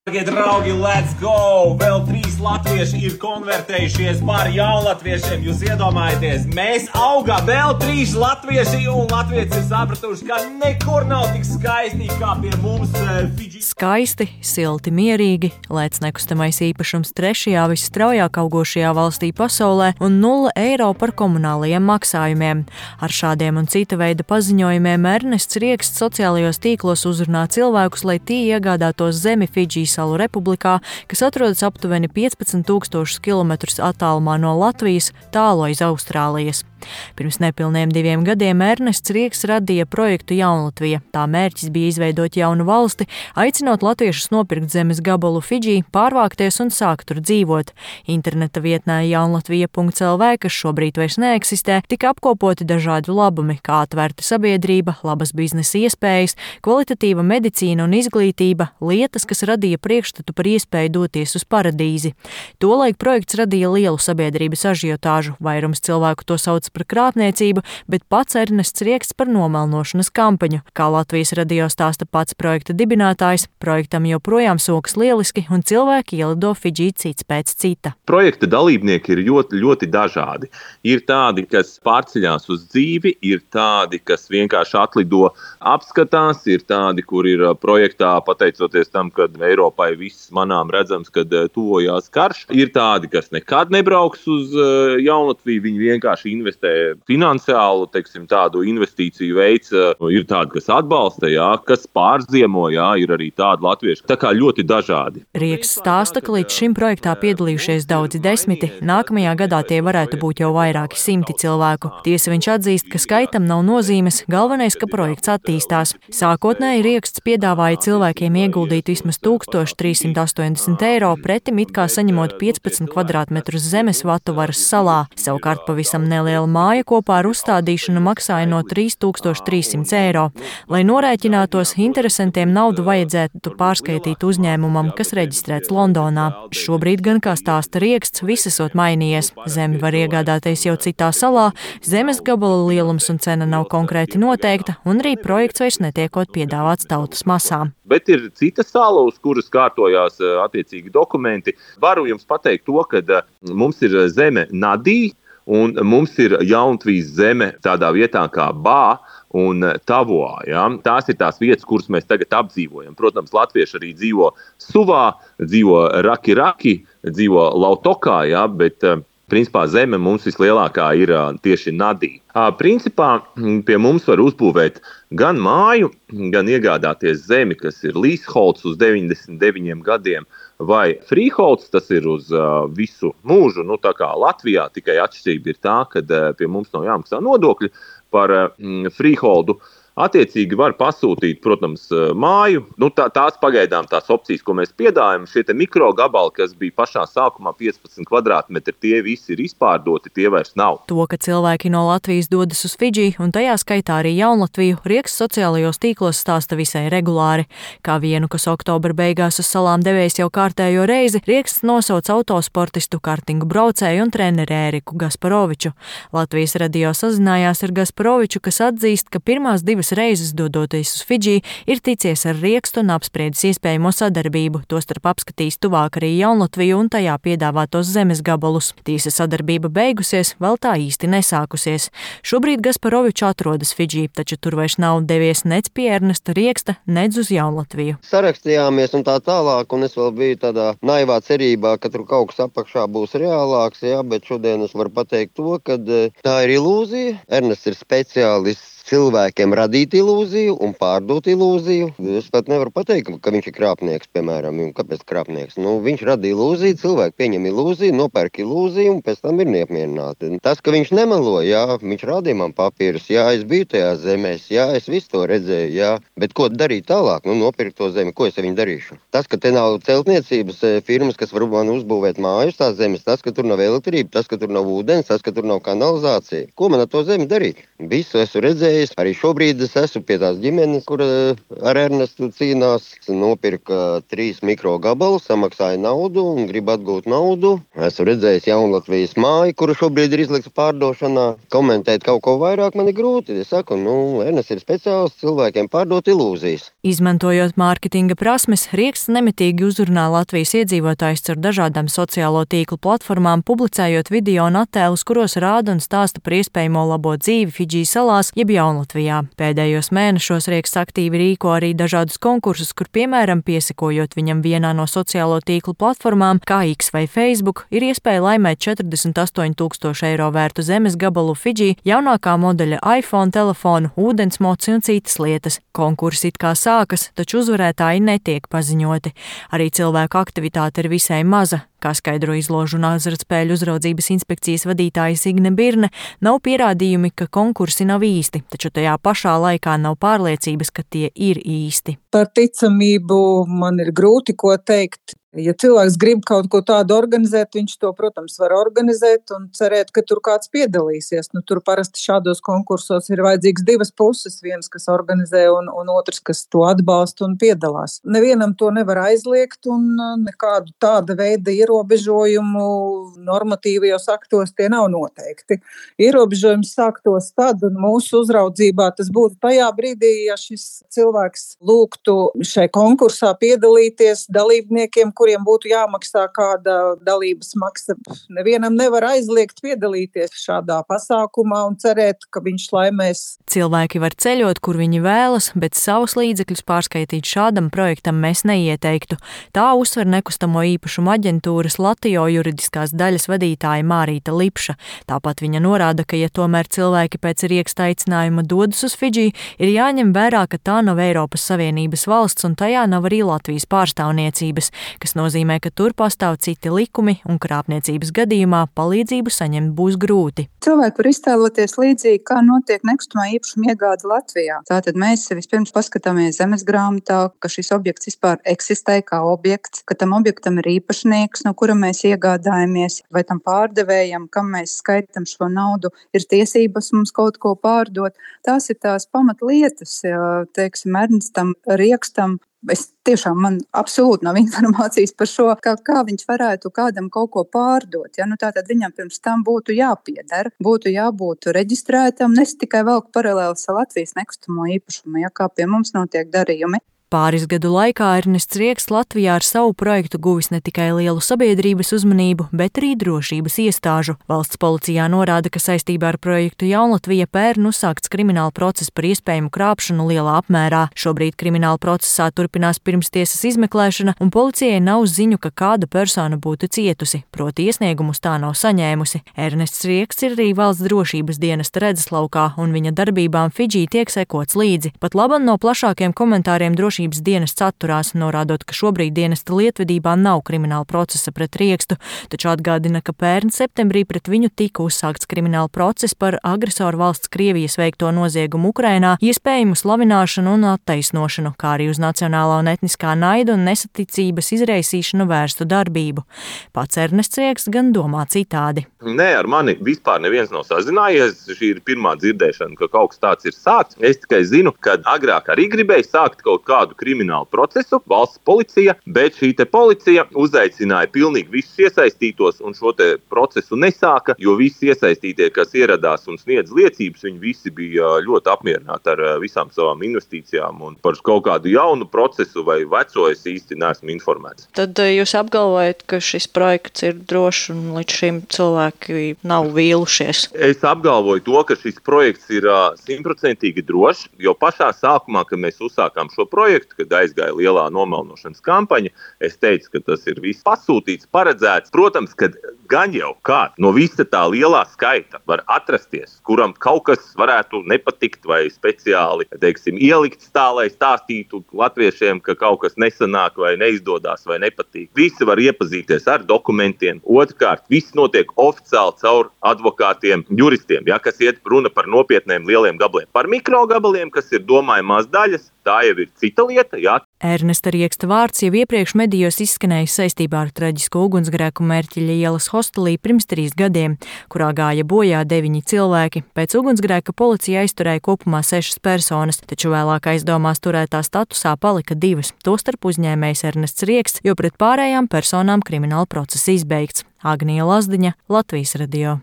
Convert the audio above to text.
Darbie draugi, let's go! Vēl 3 latvieši ir konvertējušies par jaunlatviešiem. Jūs iedomājaties, mēs augām vēl 3 latvieši, un latvieši ir sapratuši, ka nekur nav tik skaisti kā pie mums Fidži. Skaisti, silti, mierīgi, lēts nekustamais īpašums 3. visstraujāk augošajā valstī pasaulē un 0 eiro par komunālajiem maksājumiem. Ar šādiem un cita veida paziņojumiem Ernests Rieksts sociālajos tīklos uzrunā cilvēkus, lai tie iegādātos zemi Fidži salu republikā, kas atrodas aptuveni 15,000 kilometrus attālumā no Latvijas, tālu aiz Austrālijas. Pirms nepilniem 2 gadiem Ernests Rieksts radīja projektu Jaunlatvija. Tā mērķis bija izveidot jaunu valsti, aicinot latviešus nopirkt zemes gabalu Fidži, pārvākties un sākt tur dzīvot. Interneta vietnē jaunlatvija.lv, kas šobrīd vairs neeksistē, tika apkopoti dažādi labumi, kā atvērta sabiedrība, labas biznesa iespējas, kvalitatīva medicīna un izglītība, lietas, kas radīja priekšstatu par iespēju doties uz paradīzi. Tolaik projekts radīja lielu sabiedrības ažiotāžu, vairums cilvēku to sauc par krāpniecību, bet pats Ernests Rieksts par nomelnošanas kampaņu. Kā Latvijas radio stāsta pats projekta dibinātājs, projektam joprojām sokas lieliski un cilvēki ielido Fidži cits pēc cita. Projekta dalībnieki ir ļoti dažādi. Ir tādi, kas pārceļās uz dzīvi, ir tādi, kas vienkārši atlido apskatās, ir tādi, kur ir projektā pateicoties tam, kad Eiropai viss manām redzams, kad tuvojās karš. Ir tādi, kas nekad nebrauks uz Jaunlatviju, viņi vienkārši investē finansiālu, tādu investīciju veids. Ir tādi, kas atbalsta, kas pārziemo, ir arī tādi latvieši. Tā kā ļoti dažādi. Rieksts stāsta, ka līdz šim projektā piedalījušies daudzi desmiti, nākamajā gadā tie varētu būt jau vairāki 100 cilvēku. Tiesa viņš atzīst, ka skaitam nav nozīmes, galvenais, ka projekts attīstās. Sākotnēji Rieksts piedāvāja cilvēkiem ieguldīt vismaz 1380 eiro, pretim it kā saņemot 15 kvadrātmetrus zemes Vatuvaras salā. Savukārt pavisam neliela māja kopā ar uzstādīšanu maksāja no 3300 eiro. Lai norēķinātos, interesantiem naudu vajadzētu pārskaitīt uzņēmumam, kas reģistrēts Londonā. Šobrīd gan, kā stāsta Rieksts, viss esot mainījies. Zemi var iegādāties jau citā salā, zemes gabala lielums un cena nav konkrēti noteikta, un arī projekts vairs netiekot piedāvāts tautas masām. Bet ir cita sala, uz kuras kārtojās attiecīgi dokumenti. Varu jums pateikt to, ka mums ir zeme Nadī, un mums ir Jaunlatvijas zeme tādā vietā kā Bā un Tavoā. Ja? Tās ir tās vietas, kuras mēs tagad apdzīvojam. Protams, latvieši arī dzīvo Suvā, dzīvo Raki, dzīvo Lautokā, bet principā zeme mums vislielākā ir tieši Nadī. Principā pie mums var uzbūvēt gan māju, gan iegādāties zemi, kas ir leaseholds uz 99 gadiem, vai freeholds, tas ir uz visu mūžu, tā kā Latvijā, tikai atšķirība ir tā, ka pie mums nav jāmaksā nodokļi par freeholdu. Attiecīgi var pasūtīt, protams, māju. Tās pagaidām tās opcijas, ko mēs piedāvājam, šie mikrogabali, kas bija pašā sākumā 15 kvadrātmetri, tie visi ir izpārdoti, tie vairs nav. To, ka cilvēki no Latvijas dodas uz Fidži, un tajā skaitā arī Jaunlatviju, Rieksts sociālajos tīklos stāsta visai regulāri. Kā vienu, kas oktobra beigās uz salām devies jau kārtējo reizi, Rieksts nosauc autosportistu, kartingu braucēju un treneri Ēriku Gasparoviču. Latvijas radio sazinājās ar Gasparoviču, kas atzīst, ka pirmās 2 reizes dodoties uz Fidži ir ticies ar Riekstu un apspriedis iespējamo sadarbību, tostarp apskatījis tuvāk arī Jaunlatviju un tajā piedāvātos zemes gabalus. Tiesa sadarbība beigusies, vēl tā īsti nesākusies. Šobrīd Gasparovičs atrodas Fidži, taču tur vairs nav devies nec pie Ernesta Rieksta, nec uz Jaunlatviju. Sarakstījāmies un tā tālāk, un es vēl biju tādā naivā cerībā, ka tur kaut kas apakšā būs reālāks, bet šodien es varu pateikt to, ka tā ir ilūzija. Ernests ir speciālists cilvēkiem radīt ilūziju un pārdot ilūziju. Es pat nevaru pateikt, ka viņš ir krāpnieks, piemēram. Kāpēc krāpnieks? Viņš rada ilūziju, cilvēki pieņem ilūziju, nopērk ilūziju un pēc tam ir neapmierināti. Tas, ka viņš nemelo, viņš rādīja man papīrus, es biju tajā zemēs, es visu to redzēju, bet ko darīt tālāk? Nopirkt to zemi, ko es ar viņu darīšu? Tas, ka te nav celtniecības firmas, kas var man uzbūvēt mājas tās zemes, tas, ka tur nav elektrība, tas, ka tur nav ūdens, tas, ka tur nav kanalizācija. Ko man ar to zemi darīt? Visu esmu redzējis. redzējis. Arī šobrīd es esmu pie tās ģimenes, kur ar Ernestu cīnās. Nopirka 3 mikrogabalus, samaksāja naudu un grib atgūt naudu. Esmu redzējis Jaunlatvijas māju, kura šobrīd ir izlikta pārdošanā. Komentēt kaut ko vairāk man ir grūti. Es saku, Ernests ir speciāls cilvēkiem pārdot ilūzijas. Izmantojot mārketinga prasmes, Rieksts nemitīgi uzrunā Latvijas iedzīvotājus caur dažādām sociālo tīklu platformām, publicējot video un attēlus, kuros rāda un stāsta par iespējamo labo dzīvi Fidži salās jeb Jaunlatvijā. Pēdējos mēnešos Rieksts aktīvi rīko arī dažādus konkursus, kur, piemēram, piesakojot viņam vienā no sociālo tīklu platformām, kā X vai Facebook, ir iespēja laimēt 48,000 eiro vērtu zemes gabalu Fidži, jaunākā modeļa iPhone telefonu, ūdensmoci un citas lietas. Konkursi it kā sākas, taču uzvarētāji netiek paziņoti. Arī cilvēku aktivitāte ir visai maza. Kā skaidro Izložu un azartspēļu uzraudzības inspekcijas vadītāja Signe Birne, nav pierādījumi, ka konkursi nav īsti, taču tajā pašā laikā nav pārliecības, ka tie ir īsti. Par ticamību man ir grūti ko teikt. Ja cilvēks grib kaut ko tādu organizēt, viņš to, protams, var organizēt un cerēt, ka tur kāds piedalīsies. Tur parasti šādos konkursos ir vajadzīgs 2 puses, viens, kas organizē un otrs, kas to atbalsta un piedalās. Nevienam to nevar aizliegt un nekādu tāda veida ierobežojumu normatīvajos aktos tie nav noteikti. Ierobežojums sāktos tad un mūsu uzraudzībā tas būtu tajā brīdī, ja šis cilvēks lūgtu šai konkursā piedalīties dalībniekiem, kuriem būtu jāmaksā kāda dalības maksa. Nevienam nevar aizliegt piedalīties šādā pasākumā un cerēt, ka viņš laimēs. Cilvēki var ceļot, kur viņi vēlas, bet savus līdzekļus pārskaitīt šādam projektam mēs neieteiktu. Tā uzsver nekustamo īpašumu aģentūras Latio juridiskās daļas vadītāja Mārīta Lipša. Tāpat viņa norāda, ka, ja tomēr cilvēki pēc Rieksta aicinājuma dodas uz Fidži, ir jāņem vērā, ka tā nav Eiropas Savienības valsts un tajā nav arī Latvijas pārstāvniecības, kas nozīmē, ka tur pastāv citi likumi un krāpniecības gadījumā palīdzību saņemt būs grūti. Cilvēki var iztēloties līdzīgi, kā notiek nekustamā īpašuma iegāde Latvijā. Tātad mēs vispirms paskatāmies zemes grāmatā, ka šis objekts vispār eksistē kā objekts, ka tam objektam ir īpašnieks, no kura mēs iegādājamies, vai tam pārdevējam, kam mēs skaitam šo naudu, ir tiesības mums kaut ko pārdot. Tās ir tās pamatlietas, teiksim, Ernestam Riekstam. Man absolūti nav informācijas par šo, kā viņš varētu kādam kaut ko pārdot. Tātad viņam pirms tam būtu jāpieder, būtu jābūt reģistrētam, nes tikai velk paralēlis ar Latvijas nekustamo īpašumu, kā pie mums notiek darījumi. Pāris gadu laikā Ernests Rieksts Latvijā ar savu projektu guvis ne tikai lielu sabiedrības uzmanību, bet arī drošības iestāžu. Valsts policijā norāda, ka saistībā ar projektu Jaunlatvija pērn uzsākts krimināla process par iespējamu krāpšanu lielā apmērā. Šobrīd krimināla procesā turpinās pirmstiesas izmeklēšana, un policijai nav ziņu, ka kāda persona būtu cietusi, proti iesniegumus tā nav saņēmusi. Ernests Rieksts ir arī valsts drošības dienesta redzeslaukā, un viņa darbībām Fidži tiek sekots līdzi. Pat laban no plašākiem komentāriem drošības dienests atturās, norādot, ka šobrīd dienesta lietvedībā nav krimināla procesa pret Riekstu, taču atgādina, ka pērn septembrī pret viņu tika uzsākts krimināla process par agresoru valsts Krievijas veikto noziegumu Ukrainā, iespējamu slavināšanu un attaisnošanu, kā arī uz nacionālā un etniskā naida un nesaticības izraisīšanu vērstu darbību. Pats Ernests Rieksts gan domā citādi. Nē, ar mani vispār neviens nav sazinājies. Šī ir pirmā dzirdēšana, ka kaut kas tāds ir sākts. Es tikai zinu, ka agrāk arī gribēju sākt kaut kādu kriminālu procesu, valsts policija, bet šī te policija uzaicināja pilnīgi visus iesaistītos un šo te procesu nesāka, jo visi iesaistītie, kas ieradās un sniedz liecības, viņi visi bija ļoti apmierināti ar visām savām investīcijām un par kaut kādu jaunu procesu vai veco es īsti neesmu informēts. Tad jūs apgalvojat, ka šis projekts ir drošs un līdz šim cilvēki nav vīlušies? Es apgalvoju to, ka šis projekts ir 100% drošs, jo pašā sākumā, kad mēs uzsākām šo projektu, kad aizgāja lielā nomelnošanas kampaņa, es teicu, ka tas ir viss pasūtīts, paredzēts. Protams, ka gan jau kāds no visa tā lielā skaita var atrasties, kuram kaut kas varētu nepatikt vai speciāli, ielikt tā, lai stāstītu latviešiem, ka kaut kas nesanāk vai neizdodas vai nepatīk. Visi var iepazīties ar dokumentiem. Otrkārt, viss notiek oficiāli caur advokātiem, juristiem, kas iet runa par nopietniem lieliem gabaliem. Par mikrogabaliem, kas ir domājamās daļas, tā jau ir cita lieta, Ernesta Rieksta vārds jau iepriekš medijos izskanējis saistībā ar traģisko ugunsgrēku Mērķeļa ielas hostelī pirms 3 gadiem, kurā gāja bojā 9 cilvēki. Pēc ugunsgrēka policija aizturēja kopumā 6 personas, taču vēlāk aizdomās turētā statusā palika 2, tostarp uzņēmējs Ernests Rieksts, jo pret pārējām personām krimināla process izbeigts. Agnija Lazdiņa, Latvijas radio.